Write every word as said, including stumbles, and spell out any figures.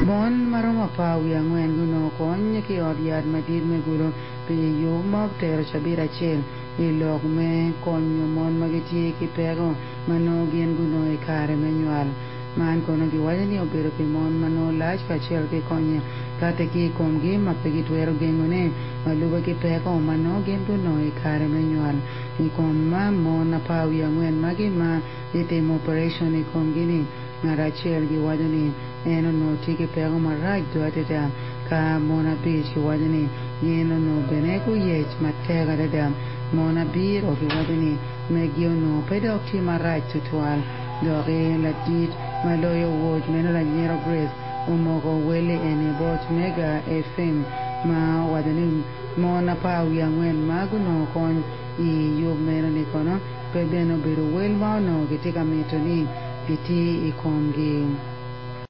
Mon ma romo apar wiye angwen gunongo kony ki i ot yat madit me Gulu pi yub ma otero cabit acel i lok me konyo mon ma gitye ki peko ma nongo gin gunongo i kare me nywal. Man kono giwaco ni obedo pi mon ma nongo lac kacel ki konye kati ki i komgi ma pe gitwero gengone ma lube ki peko ma nongo gin gunongo i kare me nywal. I kom ma mon apar wiye angwen magi ma gitimo operation i komgi-ni ngat acel giwaco ni en onongo tye ki peko marac do adada ka mon abic giwaco ni gin onongo bene guyec matek adada mon abiro giwaco ni megi onongo pe dok tye marac tutwal doki ladit ma loyo woc meno Lanyero Grace omoko welli eni bot Mega FM ma owaco ni mon apar wiye angwen ma gunongo kony i yub meno ni kono pe bene obedo wel ma onongo gitye ka mito ni giti i komgi.